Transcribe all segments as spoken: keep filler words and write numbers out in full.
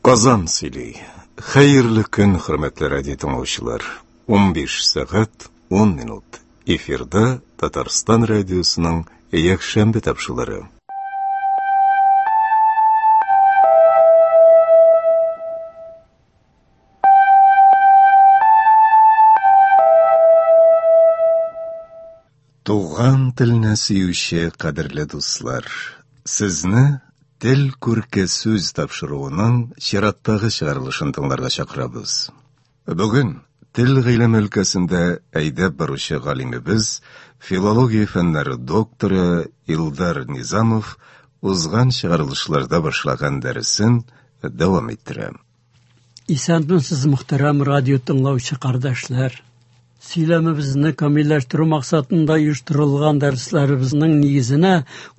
Казан сөйли. Хәерле көн, хөрмәтле радио тыңлаучылар. Унбиш сәгать ун минут. Эфирда Татарстан радиосының якшәмбе тапшырулары. Туган телне сөюче кадерле дуслар, сезне Тел күрке сүз тапшыруының чираттагы чыгарылышын тыңларга чакырабыз. Бүген тел гыйлеме өлкәсендә әйдәп баручы галимебез, филология фәннәре докторы Илдар Низамов узган чыгарылышларда башлаган дәресен дәвам иттерә. Исәнмесез, мөхтәрәм радио тыңлаучы кардәшләр. Сөйләмебезне камилләштерү максатында оештырылган дәресләребезнең нигезенә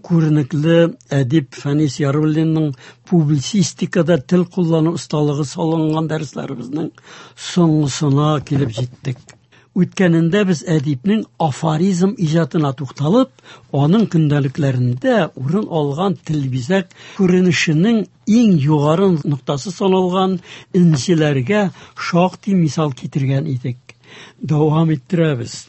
күренекле әдип Фәнис Яруллинның публицистикада тел куллану осталыгы салынган дәресләребезнең соңгысына килеп җиттек. Үткәнендә без әдипнең афоризм иҗатына тукталып, аның көндәлекләрендә урын алган тел бизәк күренешенең иң югары ноктасы саналган энҗеләргә шактый мисал китергән идек. Дәвам иттерәбез.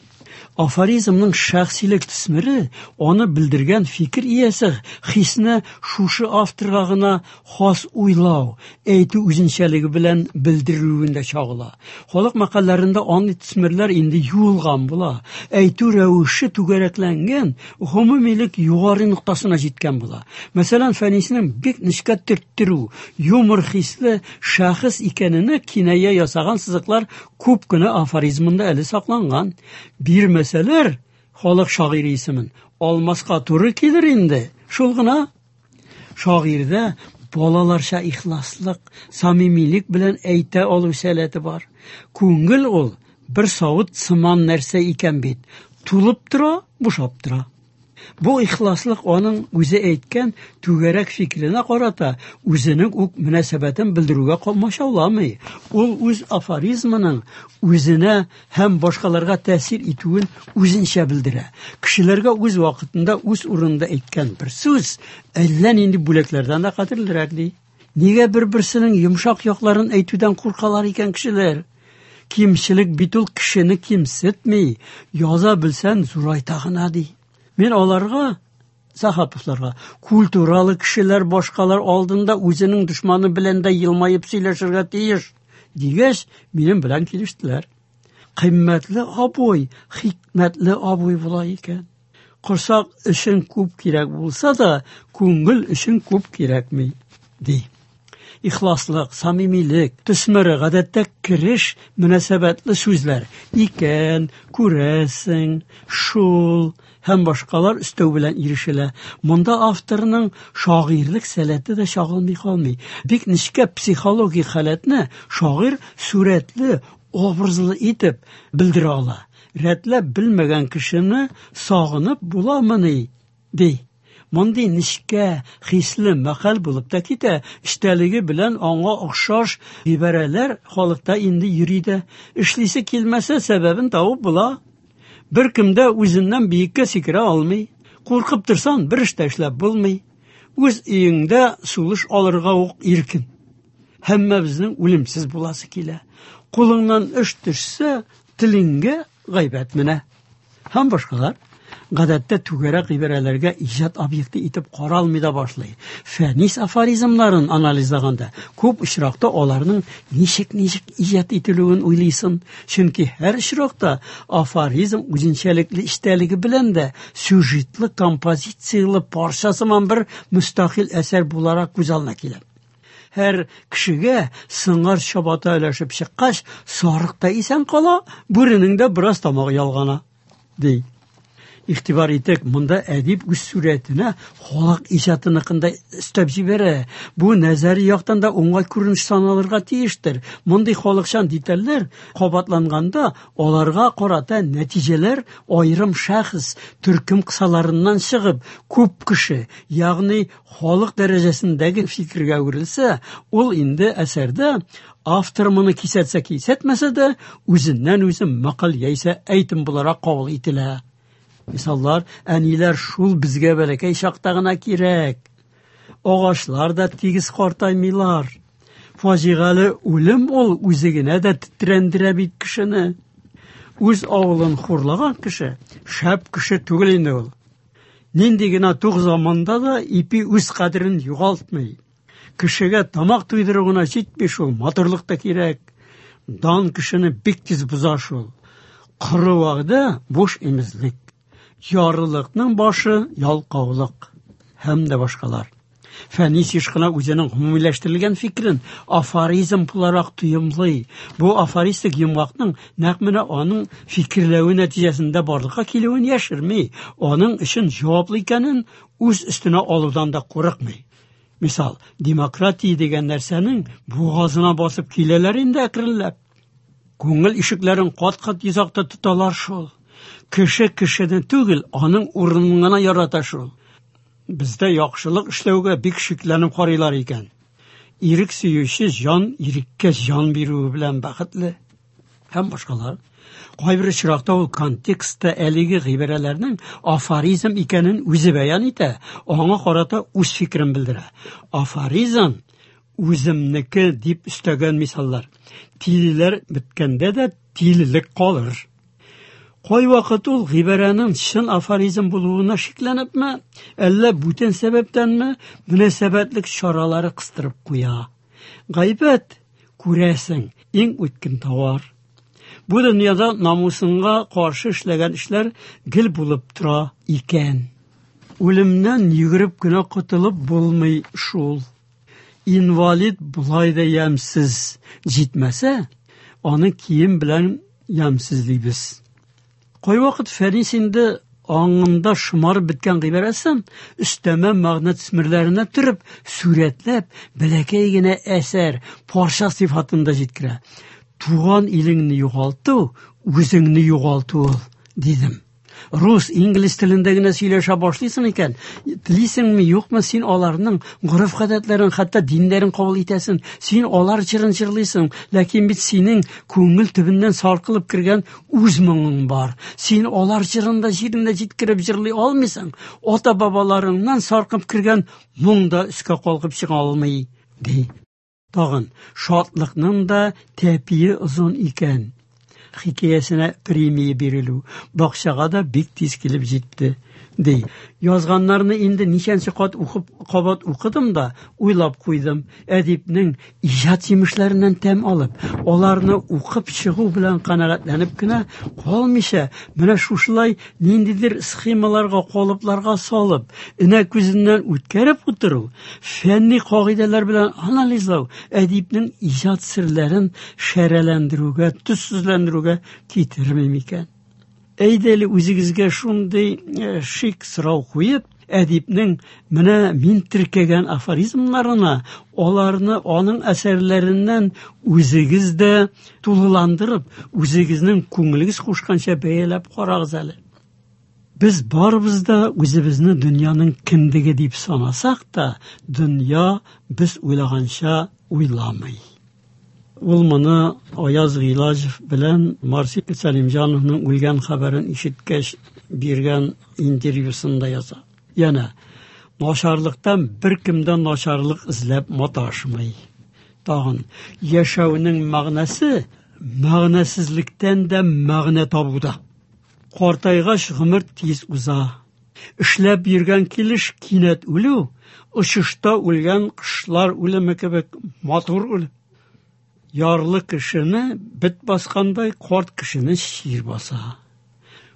Афоризмның шәхсилек төсмере аны белдергән фикер иясе хисне шушы авторга гына хас уйлау, әйтү үзенчәлеге белән белдерүендә чагыла. Халык мәкальләрендә андый төсмерләр инде юылган була. Әйтү рәвеше түгәрәкләнгән, гомумилек югары ноктасына җиткән була. Мәсәлән, Фәниснең бик нечкә төрттерү, юмор хисле шәхес икәненә киная ясаган сызыклар күп кенә афоризмында әле сакланган. Бирмәсәләр халык шагыйре исемен алмаска туры килер инде. Шул гына. Шагыйрьдә балаларча ихласлык, самимилек белән әйтә алу сәләте бар. Күңел ул бер савыт сыман нәрсә икән бит. Тулып тора, бушап тора. Бу ихласлык аның үзе әйткән түгәрәк фикеренә карата үзенең үк мөнәсәбәтен белдерүгә комачауламый. Ул үз афоризмының үзенә һәм башкаларга тәэсир итүен үзенчә белдерә. Кешеләргә үз вакытында, үз урынында әйткән бер сүз әллә нинди бүләкләрдән дә кадерлерәк ди. Нигә бер-берсенең йомшак якларын әйтүдән куркалар икән кешеләр? Кимчелек бит ул кешене кимсетми, яза белсән зурайта гына ди. Мин аларга, Сахаповларга, культуралы кешеләр башкалар алдында үзенең дошманы белән дә елмаеп сөйләшергә тиеш дигәч, минем белән килештеләр. Кыйммәтле абый, хикмәтле абый була икән. Корсак өчен күп кирәк булса да, күңел өчен күп кирәкми, ди. Ихласлык, самимилек, төсмере гадәттә кереш мөнәсәбәтле сүзләр. Икән, күрәсең, шул һәм башкалар өстәү белән ирешелә. Монда авторның шагыйрьлек сәләте дә чагылмый калмый. Бик нечкә психологик халәтне шагыйрь сурәтле, образлы итеп белдерә ала. Рәтләп белмәгән кешене сагынып буламыни, ди. Мондый нечкә, хисле мәкаль булып та китә. Эчтәлеге белән аңа охшаш гыйбарәләр халыкта инде йөри дә. Эшлисе килмәсә, сәбәбен табып була. Бер кем дә үзеннән биеккә сикерә алмый. Куркып торсаң, бер эш тә эшләп булмый. Үз өеңдә сулыш алырга ук иркен. Һәммәбезнең үлемсез буласы килә. Кулыңнан эш төшсә, телеңгә гайбәт менә. Һәм башкалар. Гадәттә түгәрәк гыйбарәләргә иҗат объекты итеп каралмый да башлый. Фәнис афоризмнарын анализлаганда күп очракта аларның ничек-ничек иҗат ителүен уйлыйсың. Чөнки һәр очракта афоризм үзенчәлекле эчтәлеге белән дә сюжетлы, композициялы парча сыман бер мөстәкыйль әсәр буларак күз алдына килә. Һәр кешегә сыңар чабата өләшеп чыккач, сарык та исән кала, бүренең дә бераз тамагы ялгана, ди. Игътибар итек, монда әдип үз сурәтенә халык иҗатыныкында өстәп җибәрә. Бу нәзәри яктан да уңай күренеш саналырга тиештер. Мондый халыкчан детальләр кабатланганда аларга карата нәтиҗәләр аерым шәхес, төркем кысаларыннан чыгып, күп кеше, ягъни халык дәрәҗәсендәге фикергә әверелсә, ул инде әсәрдә автор моны кисәтсә кисәтмәсә дә, үзеннән үзе мәкаль яисә әйтем буларак кабул ителә. Мисаллар, әниләр шул безгә бәләкәй чакта гына кирәк. Агачлар да тигез картаймыйлар. Фаҗигале үлем ул үзе генә дә тетрәндерә бит кешене. Үз авылын хурлаган кеше шәп кеше түгел инде ул. Нинди генә тук заманда да ипи үз кадерен югалтмый. Кешегә тамак туйдыру гына җитми шул, матурлык та кирәк. Дан кешене бик тиз боза шул. Коры вәгъдә буш имезлек. Ярлылыкның башы ялкаулык һәм дә башкалар. Фәнис еш кына үзенең гомумиләштерелгән фикерен афоризм буларак тоемлый. Бу афористик йомгакның нәкъ менә аның фикерләве нәтиҗәсендә барлыкка килүен яшерми, аның өчен җаваплы икәнен үз өстенә алудан да курыкмый. Мисал, демократия дигән нәрсәнең бугазына басып киләләр инде әкренләп. Күңел ишекләрен кат-кат йозакта тоталар шул. Кеше кешене түгел, аның урынын гына ярата шул. Бездә яхшылык эшләүгә бик шикләнеп карыйлар икән. Ирек сөюче җан иреккә җан бирүе белән бәхетле һәм башкалар. Кайбер очракта ул контекстта әлеге гыйбарәләрнең афоризм икәнен үзе бәян итә, аңа карата үз фикерен белдерә. Афоризм үземнеке дип өстәгән мисаллар. Тилеләр беткәндә дә тилелек калыр. Кайвакыт ул гыйбарәнең чын афоризм булуына шикләнепме, әллә бүтән сәбәптәнме, мөнәсәбәтлек чаралары кыстырып куя. Гайбәт, күрәсең, иң үткен товар. Бу дөньяда намусыңа каршы эшләгән эшләр гел булып тора икән. Үлемнән йөгереп кенә котылып булмый шул. Инвалид болай да ямьсез, җитмәсә, аны кием белән ямьсезлибез. Кайвакыт Фәнис инде аңында шомарып беткән гыйбарәсен өстәмә мәгънә төсмерләренә төреп, сурәтләп, бәләкәй генә әсәр, парча сыйфатында җиткерә. Туган илеңне югалту, үзеңне югалту ул, дидем. Рус, инглиз телендә генә сөйләшә башлыйсың икән, телисеңме, юкмы, син аларның гореф-гадәтләрен, хәтта диннәрен кабул итәсең, син алар җырын җырлыйсың, ләкин бит синең күңел төбеннән саркылып кергән үз моңың бар. Син алар җырын да җирендә җиткереп җырлый алмыйсың. Ата-бабаларыңнан саркып кергән моң да өскә калкып чыга алмый, ди. Тагын, шатлыкның да тәпие озын икән. Хикәясенә премия бирелү бакчага да бик тиз килеп җитте, ди. Язганнарны инде ничәнче кат укып, кабат укыдым да уйлап куйдым. Әдипнең иҗат җимешләреннән тәм алып, аларны укып чыгу белән канәгатьләнеп кенә калмыйча, менә шушылай ниндидер схемаларга, калыпларга салып, энә күзеннән үткәреп утыру, фәнни кагыйдәләр белән анализлау әдипнең иҗат серләрен шәрәләндерүгә, төссезләндерүгә китерми микән? Әйдә әле үзегезгә шундый шик сорау куеп, әдипнең менә мин теркәгән афоризмнарына, аларны аның әсәрләреннән үзегез дә тулыландырып, үзегезнең күңелегез кушканча бәяләп карагыз әле. Без барыбыз да үзебезне дөньяның кендеге дип санасак та, дөнья без уйлаганча уйламый. Ул моны Аяз Гыйлаҗев белән Марсил Сәлимҗановның үлгән хәбәрен ишеткәч биргән интервьюсында яза. Янә начарлыктан беркемдән начарлык эзләп маташмый. Тагын яшәүнең мәгънәсе мәгънәсезлектән дә мәгънә табуда. Картайгач гомер тиз уза. Эшләп йөргән килеш кинәт үлү, очышта үлгән кошлар үлеме кебек матур үлем. Ярлы кешене бет баскандай, карт кешене чир баса.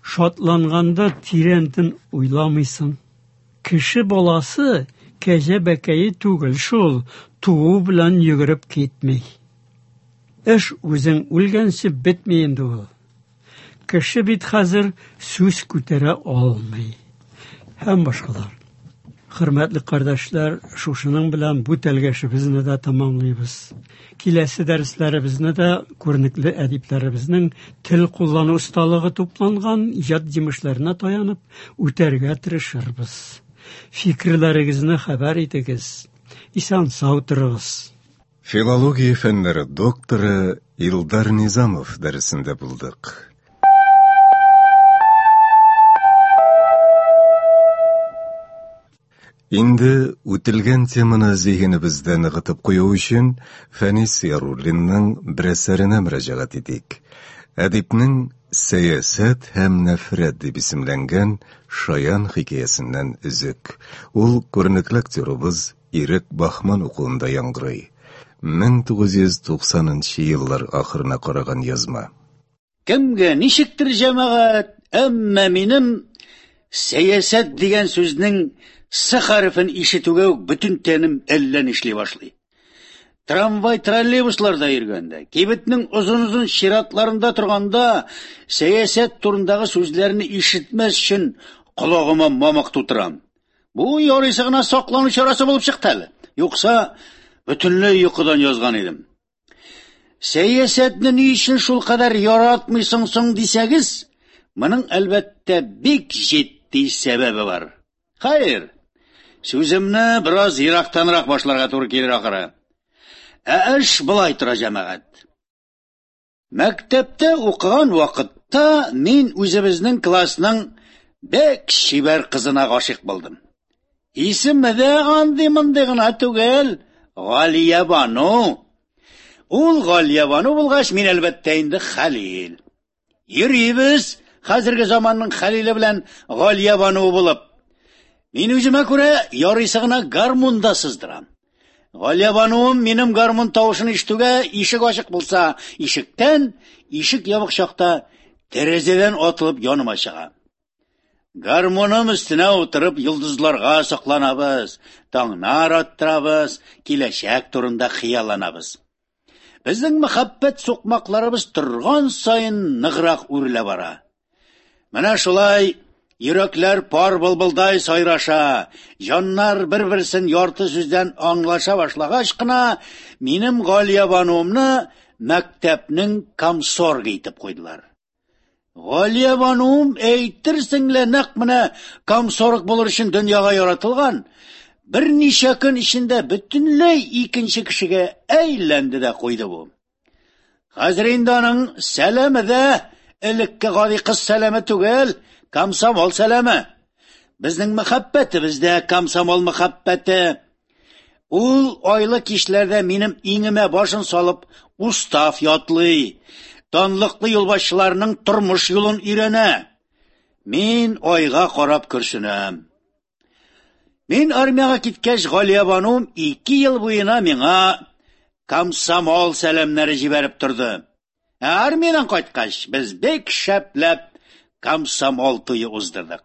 Шатланганда тирәнтен уйламыйсың. Кеше баласы кәҗә бәкәе түгел шул, туу белән йөгереп китми. Эш үзең үлгәнче бетми инде ул. Кеше бит хәзер сүз күтәрә алмый. Һәм башкалар. Хөрмәтле кардәшләр, шушының белән бу тәлгәшебезне дә тамамлыйбыз. Киләсе дәресләребезне дә күренекле әдипләребезнең тел куллану осталыгы тупланган иҗат җимешләренә таянып үтәргә тырышырбыз. Фикерләрегезне хәбәр итегез. Исән сау торыгыз. Филология фәннәре докторы Илдар Низамов дәресендә булдык. Инде үтелгән теманы зиһенебездә ныгытып кую өчен Фәнис Яруллинның бер әсәренә мөрәҗәгать итик. Әдипнең «Сәясәт һәм нәфрәт» дип исемләнгән шаян хикәясеннән өзек. Ул күренекле актерыбыз Ирек Баһман укуында яңгырый. мең тугыз йөз туксанынчы еллар ахырына караган язма. Кемгә ничектер, җәмәгать, әмма минем сәясәт дигән сүзнең С хәрефен ишетүгә үк бөтен тәнем әллә нишли башлый. Трамвай, троллейбусларда йөргәндә, кибетнең озын-озын чиратларында торганда, сәясәт турындагы сүзләрне ишетмәс өчен колагыма мамык тутырам. Бу ярыйсы гына саклану чарасы булып чыкты әле. Юкса бөтенләй йокыдан язган идем. Сәясәтне ни өчен шул кадәр яратмыйсың соң дисәгез, моның әлбәттә бик җитди сәбәбе бар. Хәер, сүземне бераз ерактанрак башларга туры килер ахыры. Ә эш болай тора, җәмәгать. Мәктәптә укыган вакытта мин үзебезнең классның бик чибәр кызына гашыйк булдым. Исеме дә андый-мондый гына түгел, Галия Бану. Ул Галия Бану булгач, мин әлбәттә инде Хәлил. Йөрибез хәзерге заманның Хәлиле белән Галия Бану булып. Мин үземә күрә ярыйсы гына гармунда сыздырам. Галия Бануым минем гармун тавышын ишетүгә ишек ачык булса, ишектән, ишек ябык чакта тәрәзәдән атылып яныма чыга. Гармуным өстенә утырып йолдызларга сокланабыз, таңнар аттырабыз, киләчәк турында хыялланабыз. Безнең мәхәббәт сукмакларыбыз торган саен ныграк үрелә бара. Менә шулай йөрәкләр пар былбылдай сайраша, җаннар бер-берсен ярты сүздән аңлаша башлагач кына минем Галия Бануымны мәктәпнең комсоргы итеп куйдылар. Галия Бануым әйтерсең лә нәкъ менә комсорг булыр өчен дөньяга яратылган, берничә көн эчендә бөтенләй икенче кешегә әйләнде дә куйды бу. Хәзер инде аның сәламе дә элекке гади кыз сәламе түгел, комсомол сәламе. Безнең мәхәббәтебез дә комсомол мәхәббәте. Ул айлы кичләрдә минем иңемә башын салып устав ятлый, данлыклы юлбашчыларның тормыш юлын өйрәнә. Мин айга карап көрсенәм. Мин армиягә киткәч, Галия Банум ике ел буена миңа комсомол сәламнәре җибәреп торды. Ә армиядән кайткач, без бик шәпләп комсомол туе уздырдык.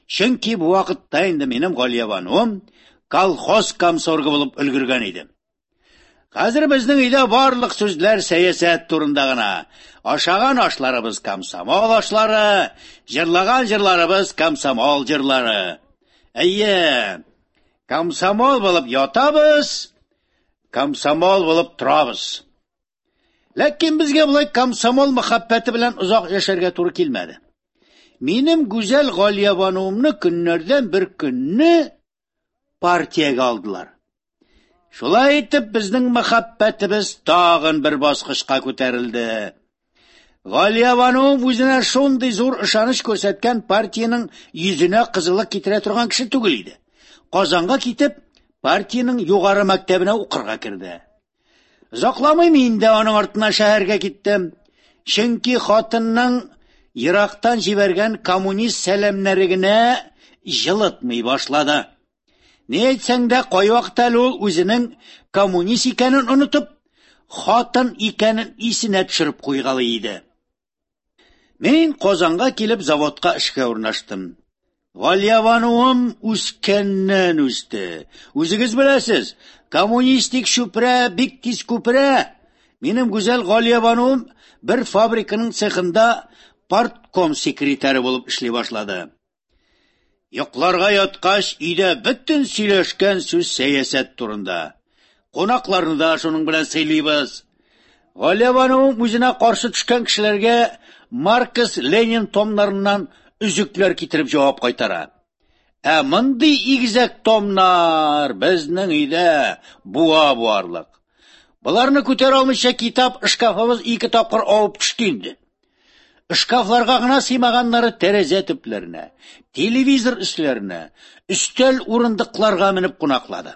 Чөнки бу вакытта инде минем Галия Банум колхоз комсоргы булып өлгергән иде. Хәзер безнең өйдә барлык сүзләр сәясәт турында гына. Ашаган ашларыбыз комсомол ашлары, җырлаган җырларыбыз комсомол җырлары. Әйе, комсомол булып ятабыз, комсомол булып торабыз. Ләкин безгә болай комсомол мәхәббәте белән озак яшәргә туры килмәде. Минем гүзәл Галия Бануымны көннәрдән бер көнне партиягә алдылар. Шулай итеп безнең мәхәббәтебез тагын бер баскычка күтәрелде. Галия Бануым үзенә шундый зур ышаныч күрсәткән партиянең йөзенә кызыллык китерә торган кеше түгел иде. Казанга китеп, партиянең югары мәктәбенә укырга керде. Озакламый мин дә аның артыннан шәһәргә киттем. Чөнки хатынның ерактан җибәргән коммунист сәламнәре генә җылытмый башлады. Ни әйтсәң дә, кайвакыт әле ул үзенең коммунист икәнен онытып, хатын икәнен исенә төшереп куйгалый иде. Мин Казанга килеп заводка эшкә урнаштым. Галия Бануым үскәннән үсте. Үзегез беләсез, коммунистик чүпрә бик тиз күперә. Минем гүзәл Галия Бануым бер фабриканың цехында партком секретаре булып эшли башлады. Йокларга яткач, өйдә бөтен сөйләшкән сүз сәясәт турында. Кунакларны да шуның белән сыйлыйбыз. Галия Бануым үзенә каршы төшкән кешеләргә Маркс, Ленин томнарыннан өзекләр китереп җавап кайтара. Ә мондый игезәк томнар безнең өйдә буа буарлык. Боларны күтәрә алмыйча китап шкафыбыз ике тапкыр авып төште инде. Шкафларга гына сыймаганнары тәрәзә төпләренә, телевизор өсләренә, өстәл урындыкларга менеп кунаклады.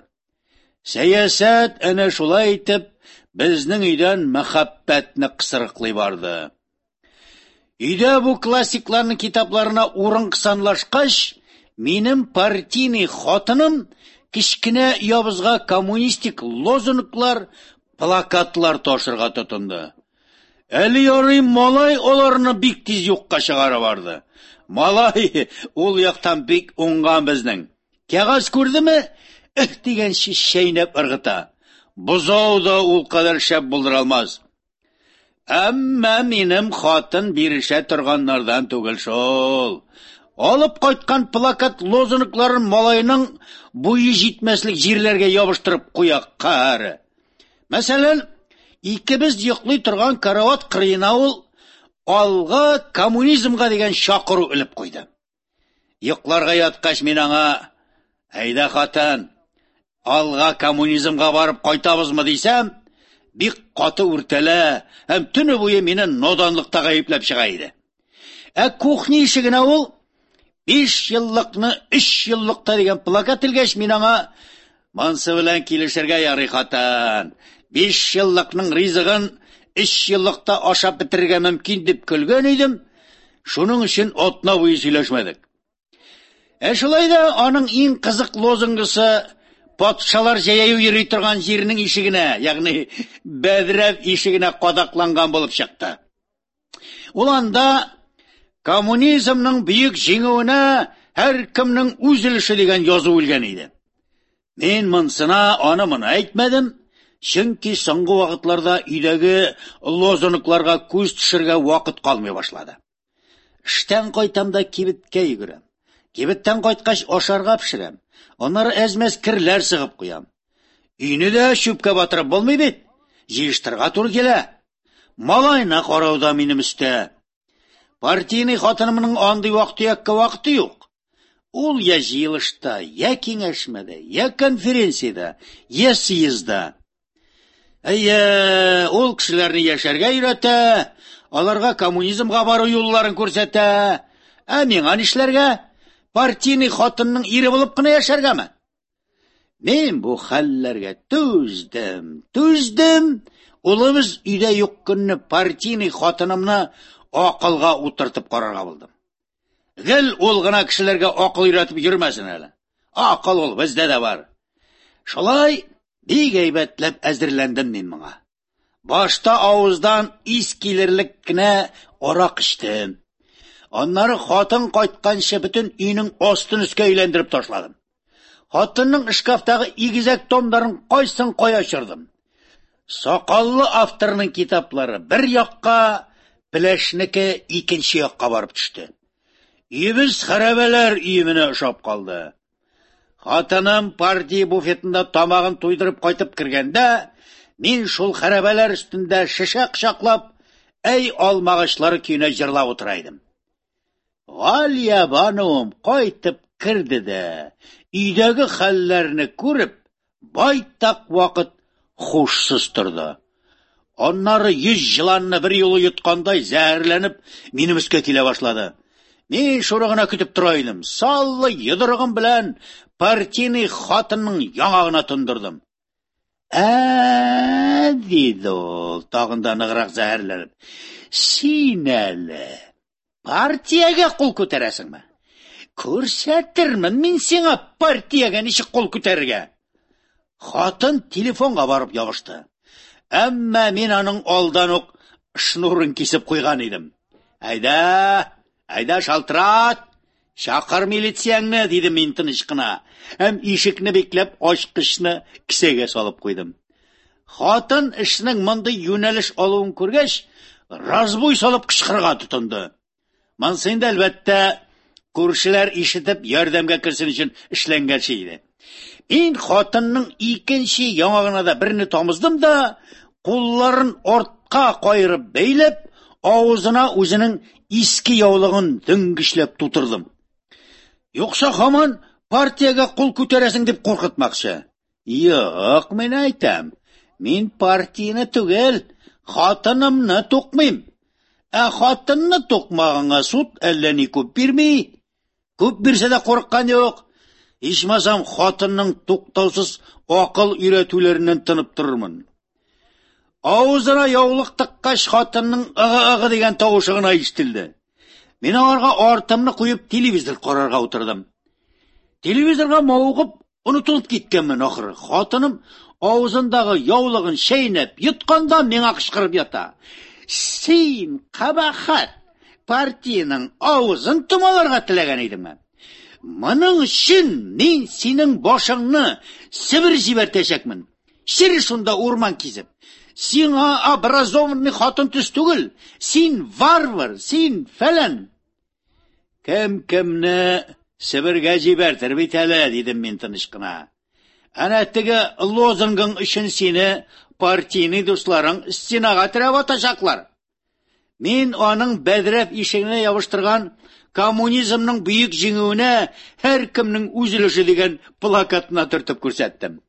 Сәясәт әнә шулай итеп безнең өйдән мәхәббәтне кысрыклый барды. Өйдә бу классикларның китапларына урын кысанлашкач, минем партийный хатыным кечкенә ябызга коммунистик лозунглар, плакатлар ташырга тотынды. Әле ярый малай аларны бик тиз юкка чыгара барды. Малай ул яктан бик уңган безнең. Кәгазь күрдеме? Эх дигәнче чәйнәп ыргыта. Бозау да ул кадәр шәп булдыра алмас. Әмма минем хатын бирешә торганнардан түгел шул. Алып кайткан плакат лозунгларын малайның буе җитмәслек җирләргә ябыштырып куя каһәре. Мәсәлән, икебез йоклый торган карават кырыена ул алга коммунизмга дигән чакыру элеп куйды. Йокларга яткач мин аңа: "Әйдә, хатын, алга коммунизмга барып кайтабызмы?" дисәм, бик каты үртәлә һәм төне буе мине наданлыкта гаепләп чыга иде. Ә кухня ишегенә ул биш еллыкны өч еллыкта дигән плакат элгәч, мин аңа: "Монсы белән килешергә ярый, хатын. Биш еллыкның ризыгын өч еллыкта ашап бетерергә мөмкин" дип көлгән идем. Шуның өчен атна буе сөйләшмәдек. Ә шулай да аның иң кызык лозунгысы патшалар җәяү йөри торган җирнең ишегенә, ягъни бәдрәф ишегенә кадакланган булып чыкты. Ул анда коммунизмның бөек җиңүенә һәркемнең үз өлеше дигән язу элгән иде. Мин монсына аны моны әйтмәдем, чөнки соңгы вакытларда өйдәге лозунгларга күз төшерергә вакыт калмый башлады. Эштән кайтам да кибеткә йөгерәм. Кибеттән кайткач ашарга пешерәм. Аннары әз-мәз керләр сыгып куям. Өйне дә чүпкә батырып булмый бит. Җыештырырга туры килә. Малайны карау да минем өстә. Партийный хатынымның андый вак-төяккә вакыты юк. Ул я җыелышта, я киңәшмәдә, я конференциядә, я съездда. Әйе, ул кешеләрне яшәргә өйрәтә, аларга коммунизмга бару юлларын күрсәтә. Ә миңа нишләргә? Партийный хатынның ире булып кына яшәргәме? Мин бу хәлләргә түздем, түздем. Улыбыз өйдә юк көнне партийный хатынымны акылга утыртып карарга булдым. Гел ул гына кешеләргә акыл өйрәтеп йөрмәсен әле. Акыл ул бездә дә бар. Шулай бик әйбәтләп әзерләндем мин моңа. Башта авыздан ис килерлек кенә арак эчтем. Аннары хатын кайтканчы бөтен өйнең астын өскә әйләндереп ташладым. Хатынның шкафтагы игезәк томнарын кайсын кая очырдым. Сакаллы авторның китаплары бер якка, пеләшнеке икенче якка барып төште. Өебез хәрабәләр өеменә ошап калды. Хатыным партия буфетында тамагын туйдырып кайтып кергәндә, мин шул хәрабәләр өстендә шешә кочаклап, әй алмагачлары көенә җырлап утыра идем. Галия бануым кайтып керде дә, өйдәге хәлләрне күреп, байтак вакыт хушсыз торды. Аннары йөз җыланны бер юлы йоткандай зәһәрләнеп минем өскә килә башлады. Мин шуны гына көтеп тора идем. Саллы йодрыгым белән партийный хатынның яңагына тондырдым. Ә, диде ул, тагын да ныграк зәһәрләнеп. Син әле партиягә кул күтәрәсеңме? Күрсәтермен мин сиңа партиягә ничек кул күтәрергә. Хатын телефонга барып ябышты. Әмма мин аның алдан ук шнурын кисеп куйган идем. Әйдә, әйдә шалтырат, чакыр милицияңне, дидем мин тыныч кына. Һәм ишекне бикләп ачкычны кесәгә салып куйдым. Хатын эшнең мондый юнәлеш алуын күргәч, разбой салып кычкырырга тотынды. Монысы инде, әлбәттә, күршеләр ишетеп ярдәмгә керсен өчен эшләнгән шей иде. Мин хатынның икенче яңагына да берне тамыздым да, кулларын артка кайырып бәйләп, авызына үзенең иске яулыгын дөңгечләп тутырдым. Юкса һаман партиягә кул күтәрәсең дип куркытмакчы. Юк, мин әйтәм, мин партияне түгел, хатынымны тукмыйм. Ә хатынны тукмаганга суд әллә ни күп бирми. Күп бирсә дә курыккан юк. Ичмасам хатынның туктаусыз акыл өйрәтүләреннән тынып торырмын. Авызына яулык тыккач, хатынның ыгы-ыгы дигән тавышы гына ишетелде. Мин аларга артымны куеп телевизор карарга утырдым. Телевизорга мавыгып онытылып киткәнмен ахыры. Хатыным авызындагы яулыгын чәйнәп йотканда миңа кычкырып ята. Син, кабахат, партиянең авызын томаларга теләгән идеңме? Моның өчен мин синең башыңны Себер җибәртәчәкмен. Чер шунда урман кисеп. Сиңа образованный хатын төс түгел. Син варвар, син фәлән. Кем кемне Себергә җибәртер бит әле, дидем мин тыныч кына. Әнә теге лозунгың өчен сине партийный дусларың стенага терәп атачаклар. Мин аның бәдрәф ишегенә ябыштырган коммунизмның бөек җиңүенә һәркемнең үз өлеше дигән плакатына төртеп күрсәттем.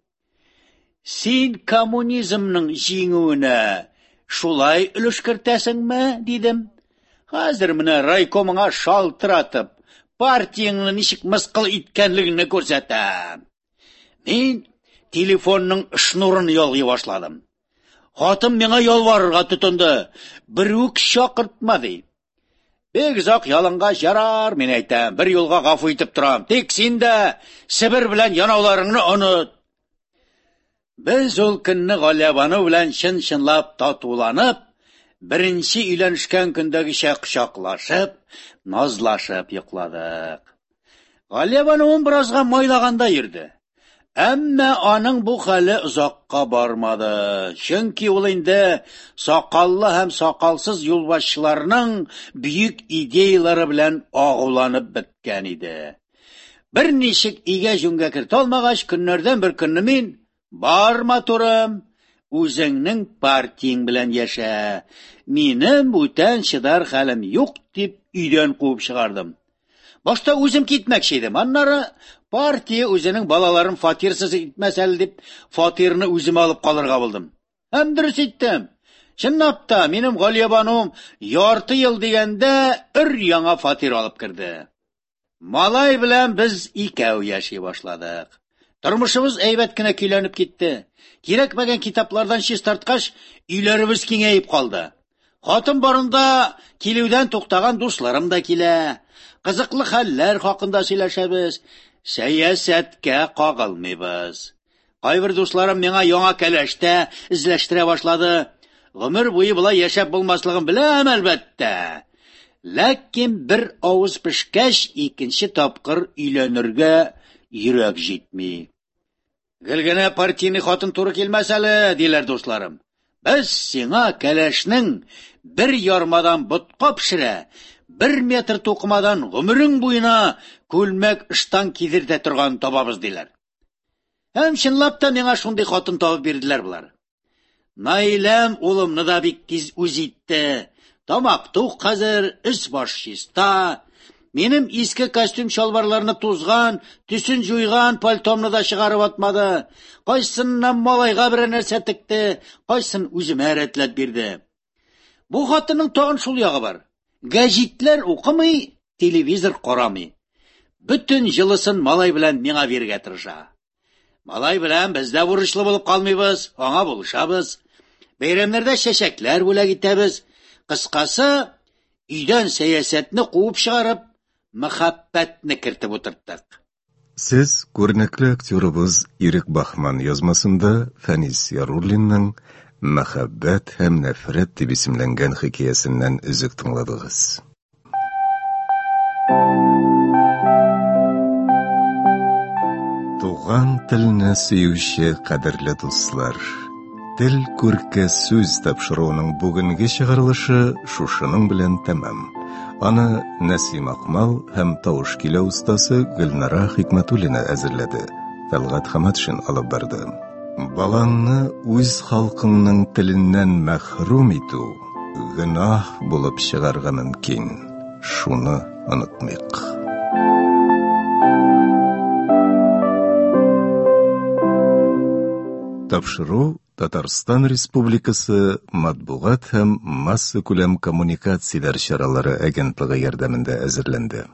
Син коммунизмның җиңүенә шулай өлеш кертәсеңме, дидем. Хәзер менә райкомыңа шалтыратып, партияңне ничек мыскыл иткәнлегеңне күрсәтәм. Мин телефонның шнурын ялгый башладым. Хатын миңа ялварырга тотынды. Бер үк чакыртма, ди. Бик озак ялынгач, ярар, мин әйтәм, бер юлга гафу итеп торам. Тик син дә Себер белән янауларыңны оныт. Без ул көнне Галиябану белән чын-чынлап татуланып, беренче өйләнешкән көндәгечә кочаклашып, назлашып йокладык. Галиябануым беразга майлаганда йөрде. Әмма аның бу хәле озакка бармады. Чөнки ул инде сакаллы һәм сакалсыз юлбашчыларның бөек идеялары белән агуланып беткән иде. Бер ничек игә җүнгә кертә алмагач, көннәрдән бер көнне мин: "Бар, матурым, үзеңнең партияң белән яшә. Минем бүтән чыдар хәлем юк", дип өйдән куып чыгардым. Башта үзем китмәкче идем. Аннары партия үзенең балаларын фатирсыз итмәс әле дип, фатирны үзем алып калырга булдым. Һәм дөрес иттем. Чынлап та, минем Галиябануым ярты ел дигәндә өр яңа фатир алып керде. Малай белән без икәү яши башладык. Тормышыбыз әйбәт кенә көйләнеп китте. Кирәкмәгән китаплардан чистарткач, өйләребез киңәеп калды. Хатын барында килүдән туктаган дусларым да килә. Кызыклы хәлләр хакында сөйләшәбез. Сәясәткә кагылмыйбыз. Кайбер дусларым миңа яңа кәләш тә эзләштерә башлады. Гомер буе болай яшәп булмаслыгын беләм, әлбәттә. Ләкин бер авыз пешкәч, икенче тапкыр өйләнергә йөрәк җитми. Гел генә партийный хатын туры килмәс әле, диләр дусларым. Без сиңа кәләшнең бер ярмадан ботка пешерә, бер метр тукымадан гомерең буена күлмәк ыштан кидертә торган табабыз, диләр. Һәм чынлап та миңа шундый хатын табып бирделәр болар. Наиләм улымны да бик тиз үз итте. Тамак тук хәзер, өс баш чиста. Минем иске костюм чалбарларны тузган, төсен җуйган пальтомны да чыгарып атмады. Кайсыннан малайга берәр нәрсә текте, кайсын үземә рәтләп бирде. Бу хатынның тагын шул ягы бар. Гәҗитләр укымый, телевизор карамый. Бөтен җылысын малай белән миңа бирергә тырыша. Малай белән без дә бурычлы булып калмыйбыз, аңа булышабыз. Бәйрәмнәрдә чәчәкләр бүләк итәбез. Кыскасы, өйдән сәясәтне куып чыгарып, мәхәббәтне кертеп утырттык. Сез күренекле актерыбыз Ирек Бахман язмасында Фәнис Яруллинның Мәхәббәт һәм нәфрәт дип исемләнгән хикәясеннән өзек тыңладыгыз. Туган телне сөюче кадерле дуслар, Тел күрке сүз тапшыруының бүгенге чыгарылышы шушының белән тәмам. Аны Нәсим Акмал һәм тавыш көйләү остасы Гөлнара Хикмәтуллина әзерләде. Тәлгать Хаматшин алып барды. Балаңны үз халкыңның теленнән мәхрүм итү гөнаһ булып чыгарга мөмкин. Шуны онытмыйк. Тапшыру Татарстан Республикасы Матбугат һәм массакүләм коммуникацияләр чаралары агентлыгы ярдәмендә әзерләнде.